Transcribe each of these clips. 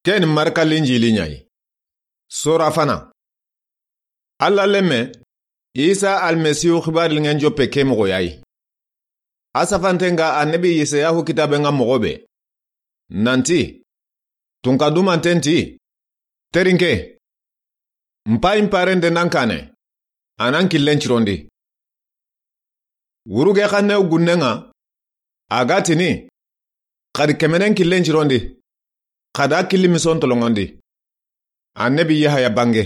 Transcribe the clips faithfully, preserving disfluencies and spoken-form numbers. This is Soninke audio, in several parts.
Ken Marka Linjili ɲa yi. Sora fana. Alla lemme, Isa Almasihu xibaari liŋen joppe ke moxo ya yi. A safanten ŋa Annabi Isayahu kitaaben ŋa moxo be. Nanti, tunka dumanten ti, terinke, n paayi n paarende nan kaane, a nan killen cirondi. Wuruge xanne gunnen ŋa, a ga tini, xa di kemenen killen cirondi, xa da killi mison toloŋondi. Annabi Yahaya bange.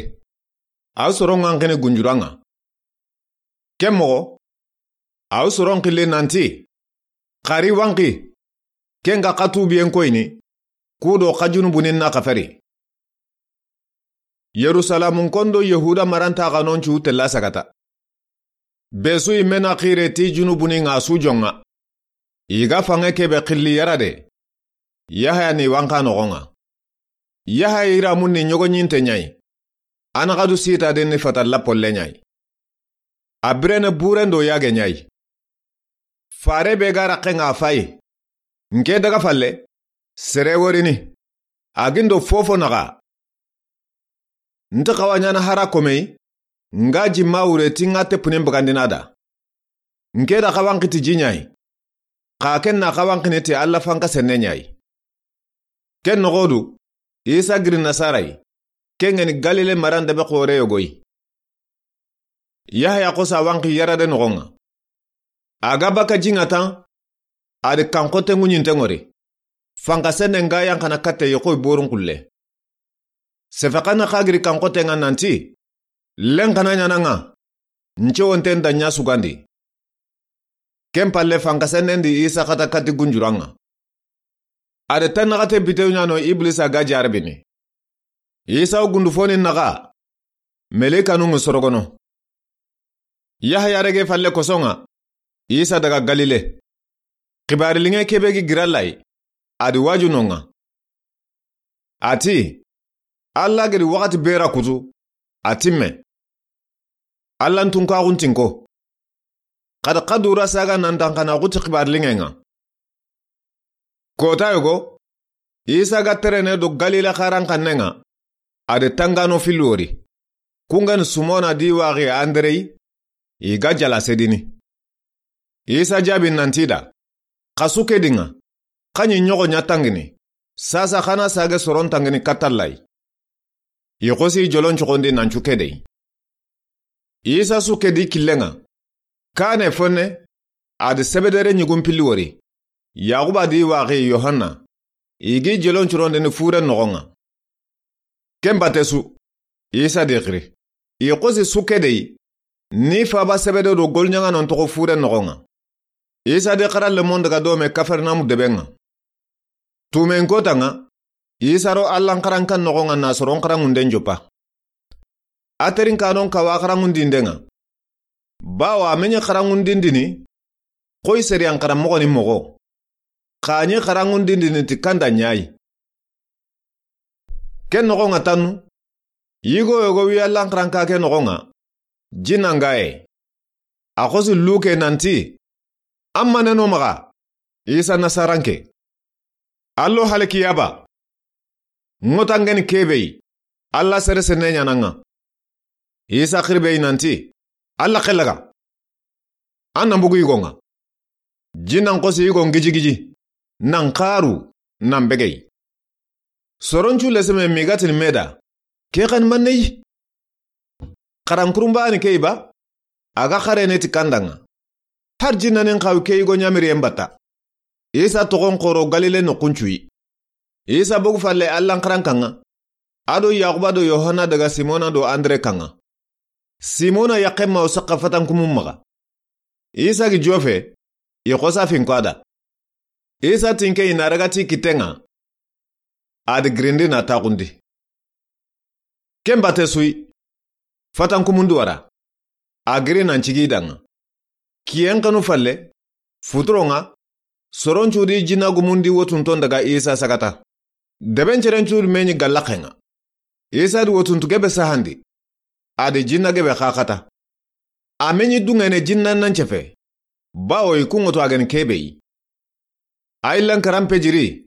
A soron ŋa n xini gunjuran ŋa. Ken moxo, a soron xilli nanti, xa ri wanqi, ken ga xa tuubiyen koyini, ku do xa junubunin na xafari. Yerusalamun kondo Yahuda maranta xanon cu tella sagata. Be su i me na xire ti junubunin ŋa su jonŋa. I ga fanŋe kebe xilli yara de. Yahaya ni wanqa noxon ŋa. Yahaya iramun ni ɲogoɲinte ɲa yi. A na xa du sita de ni fata lapolle ɲa yi. A birene buren do yage ɲa yi. Fare be ga raxe ŋa fayi. N ke daga falle, sere worini. A gindo fofo naxa. N ti xawa ɲana hara komey, n ga jimma wure ti n ga teppunen bagandina da. N ke da xawan xiti ji ɲa yi. Xa ken na xawan xini ti Alla fanka senne ɲa yi. Ken noxo du, Isa giri Nasara yi. Ken ŋa ni Galile maran debe xoore yogo yi. Yahaya xosa wanqi yara de noxon ŋa. A ga baka ji ŋa tan, a di kanxote ŋuɲinte ŋori. Fanka senne n ga yanqana katte yi xoy borun xulle. Sefe xanne xa giri kanxote ŋa nanti, len xana ɲana ŋa, n cewonten da ɲa sugandi. Ken palle fanka sennen di Isa xata kati gunjuran ŋa. A di tannaxate bitew ɲa no Iblisa ga jarabini. Isa wo gundu foni naxa, meleikanu ŋi sorogono. Yahaya rege falle kosonŋa, Isa daga Galile. Xibaari liŋe kebe gi giralla yi, a di waju noŋa. A ti, Alla gedi waxati bera kutu, a timme. Alla n tunkaxun tinko. Xadi xa dura saga nan tanxana xuti xibaari liŋe ŋa. Kota yogo, Isa ga terene do Galile xaran xannen ŋa, a di tangano filli wori. Kungani Simona di waxi Andrei, i ga jala sedini. Isa jaabi nanti da, xa su ke di ŋa, xa ɲi ɲoxo ɲa tangini, sasa xana sage soron tangini katallayi. I xosi jolon coxondi nan cu ke dey. Isa su ke di killen ŋa. Kane fonne, a di Sebedere ɲigun pilli wori. Yaxuba di waxi Yohanna. I gi jolon curondini furen noxon ŋa. Ken bate su, Isa di xiri. I xosi su ke dey, ni faba Sebede do golɲaŋanon toxo furen noxon ŋa. Isa di xara lemon daga dome Kafarnamu deben ŋa. Tumen kota ŋa, Isa ro Allan xarankan noxon ŋa na soron xaranŋunden joppa. A terinkanon kawa xaranŋundinden ŋa. Bawo a me ɲi xaranŋundindini, xoy seriyan xaranmoxoni moxo. Xa ɲi xaranŋundindini ti kanda ɲa yi. Ken noxon ŋa tannu, yigo yogo wi Allan xaranka ke noxon ŋa, jinnan ga ye. A xosi Luke nanti, an ma ne no maxa, Isa Nasaranke. Allo halkiyaba. Ŋotangeni kebe yi, Alla sere senne ɲana ŋa. Isa xirbe yi nanti, Alla xelaga. An nan bugu yigon ŋa. Jinnan xosi yigon gijigiji, nan xaru, nan begey. Soroncu leseme migatini meda, ke xan manne yi. Xaran kurunbani ke yi ba, a ga xarene ti kandan ŋa. Har jinnanin xawi ke yigo ɲamiriyen batta. Isa toxon xoro Galile noxun cu yi. Isa bogu falle Allan xarankan ŋa. A do Yaxuba do Yohanna daga Simona do Andre kan ŋa. Simona yaxen ma wo saxa fatankumun maxa. Isa gi jofe, i xosa finko a da. Isa tinke i na ragati kitten ŋa. A di girindi na taxundi. Ken bate su yi, fatankumun di wara. A giri nan cigi i dan ŋa. Kiyen xanu falle, futuron ŋa, soroncu di jinna gumun di wotunton daga Isa sagata. Debencerencu di me ɲi gallaxen ŋa. Isa di wotuntu gebe sahandi. A di jinna gebe xaxata. A me ɲi dungene jinna nan cefe. Bawo i kunŋoto a geni kebe yi. A yillan karan pejiri.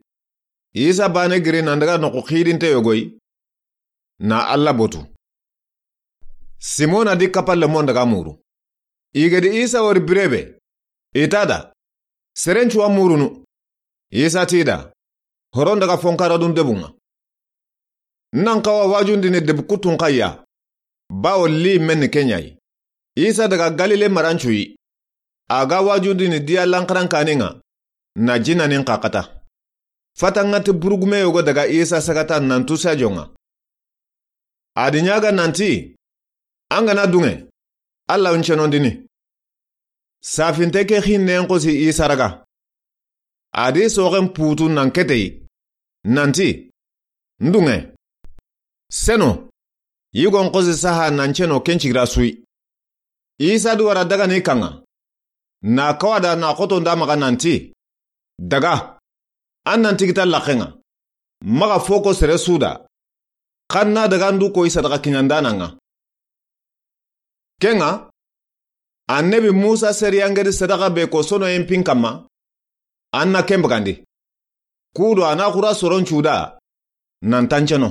Isa baane giri nan daga noqu xiidinte yogo yi, na Alla botu. Simona di Kapalemon daga muru. I ga di Isa wori bire be, i ti a da, seren cu wa murunu. Isa ti i da, horon daga fonkaradun debun ŋa. N na n xawa wajundini debu kuttun xa ya, bawo li men ni ke ɲa yi. Isa daga Galile maran cu yi. A ga wajundini diya lanxaran kanin ŋa, na jinnanin xaxata. Fatanŋa ti burugume yogo daga Isa sagata nan tu sajon ŋa. A di ɲaga nan ti, an ga na duŋe, Alla n cenondini. Safinte ke xinnen xosi Isa raga. A di soxen putu nan kete yi, nan ti, n duŋe. Seno, yigon xosi saha nan ceno ken cigira su yi. Isa di wara daga ni kan ŋa. Na kawada na xoto nda maxa nan ti, daga, an nan tigita laxen ŋa. Maxa foko sere su da. Xan na daga n du koyi sadaxa kiɲandanan ŋa. Ken ŋa, annabi Musa seriyangedi sadaxa be ko sonoyen pin kanma, an na ken bagandi. Kudo a na xura soron cu da, nan tanceno.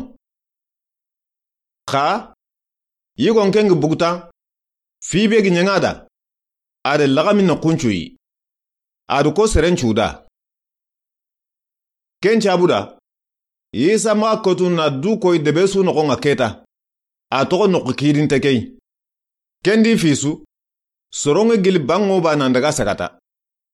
Xa, yigon ken gi bugutan, fi be gi ɲaŋa da, a de laxami noqun cu yi. A du ko seren cu da. Ken cabu da, Isa maxa kotu na du koyi debe su noxon ŋa keta. A toxo noqu xiidinte ke yi. Ken di fi su, soronŋe gili banŋo ba nan daga sagata.